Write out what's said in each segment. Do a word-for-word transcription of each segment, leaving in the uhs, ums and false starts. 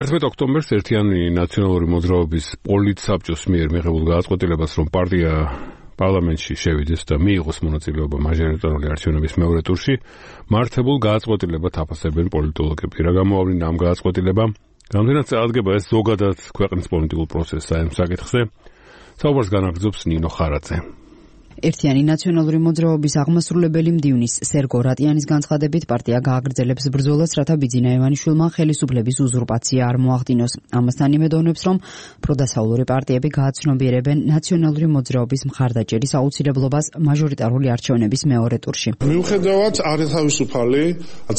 ერთმეტ ოქტომბერს ერთიანი ნაციონალური მოძრაობის პოლიტსაბჭოს მიერ მიღებულ გადაწყვეტილებას, რომ პარტია პარლამენტში შევიდეს და მიიღოს მონაწილეობა მაჟორიტარული არჩევნების მეორე ტურში, მართებულ გადაწყვეტილებად აფასებენ პოლიტოლოგები. რა გამოავლინა ამ გადაწყვეტილებამ? რამდენად წარადგება ეს ზოგადად ქვეყნის პოლიტიკურ პროცესს საერთო საკითხზე? საუბარს განაგრძობს ნინო ხარაძე. ერთიანი ნაციონალური მოძრაობის აღმასრულებელი მდივნის სერგო რატიანის განცხადებით პარტია გააგრძელებს ბრძოლას, რათა ბიძინა ივანიშვილმა ხელისუფლების უზურპაცია არ მოახდინოს. ამასთან იმედოვნებს, რომ პროდასავლური პარტიები გააცნობიერებენ ნაციონალური მოძრაობის მხარდაჭერის აუცილებლობას მაჟორიტარული არჩევნების მეორე ტურში. მიუხედავად არათავისუფალი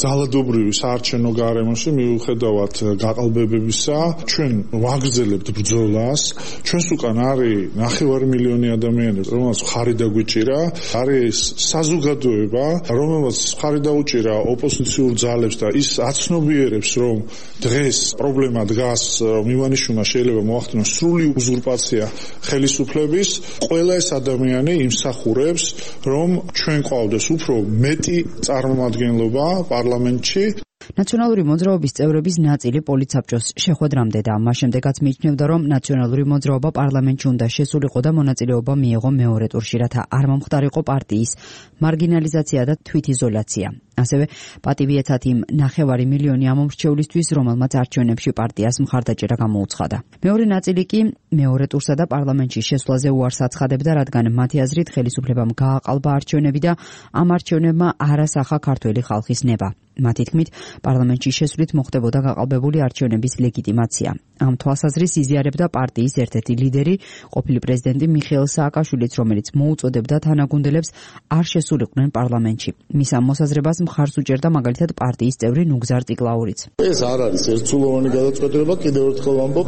ძალადობრივი საარჩევნო გარემოში, მიუხედავად გაყალბებებისა, ჩვენ ვაგრძელებთ ბრძოლას. ჩვენს უკან არის ნახევარი მილიონი ადამიანები, რომელსაც ხარი გვიჭირა, არის საზოგადოება, რომელსაც ხარი დაუჭირა ოპოზიციურ ძალებს და ის აცნობიერებს, რომ დღეს პრობლემა დგას, რომ ივანიშვილმა შეიძლება მოახდინოს სრული უზურპაცია ხელისუფლების. ყველა ეს ადამიანი იმსახურებს, რომ ჩვენ ყავდეს უფრო მეტი წარმომადგენლობა პარლამენტში. ნაციონალური მოძრაობის წევრების ნაწილი პოლიტსაბჭოს შეხვედრამდე და მას შემდეგაც მიიჩნევდა, რომ ნაციონალური მოძრაობა პარლამენტში უნდა შესულიყო და მონაწილეობა მიეღო მეორე ტურში, რათა არ მომხდარიყო პარტიის მარგინალიზაცია და თვითიზოლაცია. ასევე პატივი ეცათ იმ ნახევარი მილიონი ამომრჩევლისთვის, რომელმაც არჩევნებში პარტიას მხარდაჭერა გამოუცხადა. მეორე ნაწილი კი მეორე ტურსა და პარლამენტში შესვლაზე უარს აცხადებდა, რადგან მათი აზრით ხელისუფლებამ გააყალბა არჩევნები და ამ არჩევნებმა არასახა ქართველი ხალხის ნება. მათი თქმით, პარლამენტში შესვლით მოხდებოდა გაყალბებული არჩევნების ლეგიტიმაცია. ამ თვალსაზრისით იზიარებდა პარტიის ერთ-ერთი ლიდერი, ყოფილი პრეზიდენტი მიხეილ სააკაშვილიც, რომელიც მოუწოდებდა თანაგუნდელებს არ შესულიყვნენ პარლამენტში. მის ამ მოსაზრებას მხარს უჭერდა მაგალითად პარტიის წევრი ნუგზარ ტიკლაურიც. ეს არ არის ერთსულოვანი გადაწყვეტილება, კიდევ ერთხელ ვამბობ,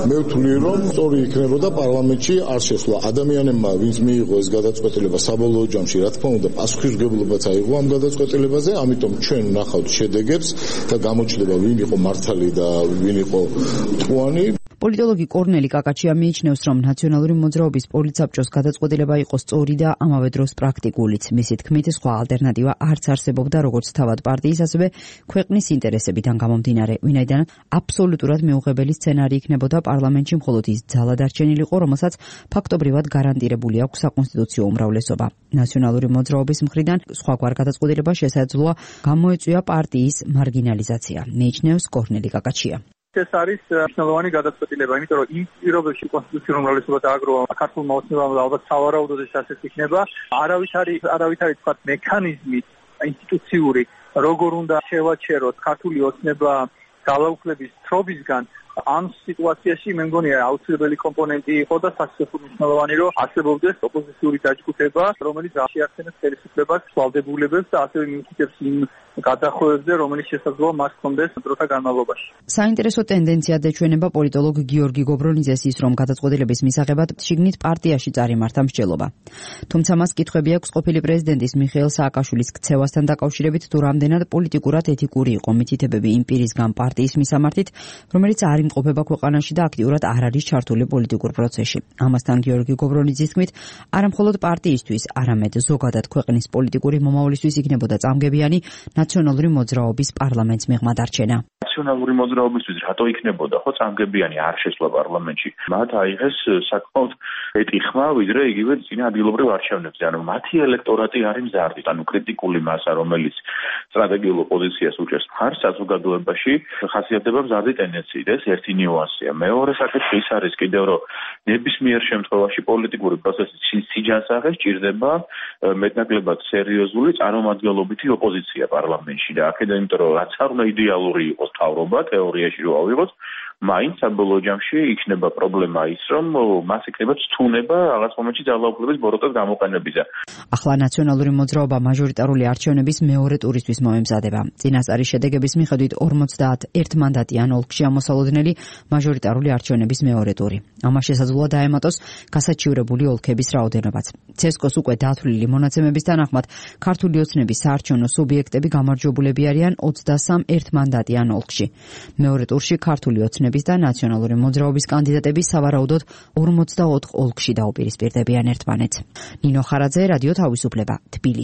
მე ვთვლი, რომ სწორი იქნებოდა პარლამენტში არ შესვლა. ადამიანებმა, ვინც მიიღო ეს გადაწყვეტილება საბოლოო ჯამში, რა თქმა უნდა, პასუხისმგებლობაც აიღო ამ გადაწყვეტილებაზე, ამიტომ ჩვენ ვნახავთ შედეგებს და გამოჩნდება ვინ იყო მართალი და ვინ იყო მტყუანი. პოლიტოლოგი კორნელი კაკაჩია მიიჩნევს, რომ ნაციონალური მოძრაობის პოლიტსაბჭოს გადაწყვეტილება იყო სწორი და ამავე დროს პრაქტიკულიც. მისი თქმით, სხვა ალტერნატივა არც არსებობდა როგორც თავად პარტიის, ასევე ქვეყნის ინტერესებიდან გამომდინარე, ვინაიდან აბსოლუტურად მიუღებელი სცენარი იქნებოდა პარლამენტში მხოლოდ ის ძალა დარჩენილიყო, რომელსაც ფაქტობრივად გარანტირებული აქვს საკონსტიტუციო უმრავლესობა. ნაციონალური მოძრაობის მხრიდან სხვაგვარ გადაწყვეტილება შესაძლოა გამოეწვია პარტიის მარგინალიზაცია, მიიჩნევს კორნელი კაკაჩია. ეს არის მნიშვნელოვანი გადაწყვეტილება, იმიტომ რომ იმ პირობებში კონსტიტუციური უმრავლესობა დააგროვა ქართულმა ოცნებამ და ალბათ სავარაუდოდ ეს ასეც იქნება. არავითარი არავითარი თქვა მექანიზმი ინსტიტუციური, როგორ უნდა შევაჩეროთ ქართული ოცნება ძალაუფლების თრობისგან. ამ სიტუაციაში მე მგონია აუცილებელი კომპონენტი იყო და სასწრაფო მნიშვნელოვანი, რომ არსებობდეს ოპოზიციური დაჯგუფება, რომელიც შეახსენებს ხელისუფლებას, ვალდებულებებს და ასევე მიუთითებს იმ გადახოვებზე, რომელიც შესაძლოა მას ჰქონდეს დროთა განმავლობაში. საინტერესო ტენდენციად ეჩვენება პოლიტოლოგ გიორგი გობრონიძეს ის, რომ გადაწყვეტილების მისაღებად შიგნით პარტიაში წარიმართა მსჯელობა. თუმცა მას კითხვები აქვს ყოფილი პრეზიდენტის მიხეილ სააკაშვილის ქცევასთან დაკავშირებით, თუ რამდენად პოლიტიკურად ეთიკური იყო მითითებები იმ პირისგან პარტიის მისამართით, რომელიც არ იმყოფება ქვეყანაში და აქტიურად არ არის ჩართული პოლიტიკურ პროცესში. ამასთან გიორგი გობრონიძის თქმით, არა მხოლოდ პარტიისთვის, არამედ ზოგადად ქვეყნის პოლიტიკური მომავლისთვის იქნებოდა წამგებიანი ნაციონალური მოძრაობის პარლამენტს მიღმა დარჩენა. ნაციონალური მოძრაობისთვის რატო იქნებოდა ხო წამგებიანი არ შესვლა პარლამენტში? მათ აიღეს საკმაოდ მეტი ხმა, ვიდრე იგივე წინა ადგილობრივ არჩევნებზე. ანუ მათი ელექტორატი არის მზარდი, ანუ კრიტიკული მასა, რომელიც სტრატეგიულ ოპოზიციას უჭერს მხარს საზოგადოებაში, ხასიათდება მზარდი ტენდენციით. ეს ერთი ნიუანსია. მეორე საკითხი ის არის კიდევ, რომ ნებისმიერ შემთხვევაში პოლიტიკური პროცესის სიჯანსაღეს ჭირდება მეტნაკლებად სერიოზული წარმომადგენლობითი ოპოზიცია პარლამენტში და აქედან, იმიტომ რომ რაც არ უნდა იდეალური იყოს თავრობა, თეორიაში რო ავიღოთ, მაინც საბოლოო ჯამში იქნება პრობლემა ის, რომ მას იქნება ცთუნება რაღაც მომენტში ძალაუფლების ბოროტად გამოყენებისა. ახლა ნაციონალური მოძრაობა მაჟორიტარული არჩევნების მეორე ტურისთვის მოემზადება. წინასწარი შედეგების მიხედვით ორმოცდაათ მანდატიან ოლქში ამოსალოდნელი მაჟორიტარული არჩევნების მეორე ტური. ამას შესაძლოა დაემატოს გასაჩივრებული ოლქების რაოდენობაც. ცესკოს უკვე დათვლილი მონაცემების თანახმად ქართული ოცნების საარჩევნო სუბიექტები გამარჯვებულები არიან ოცდასამ ერთმანდატიან ოლქში. მეორე ტურში ქართული ოცნების და ნაციონალური მოძრაობის კანდიდატები სავარაუდოდ ორმოცდაოთხ ოლქში დაუპირისპირდებიან ერთმანეთს. ნინო ხარაძე, რადიო თავისუფლება, თბილისი.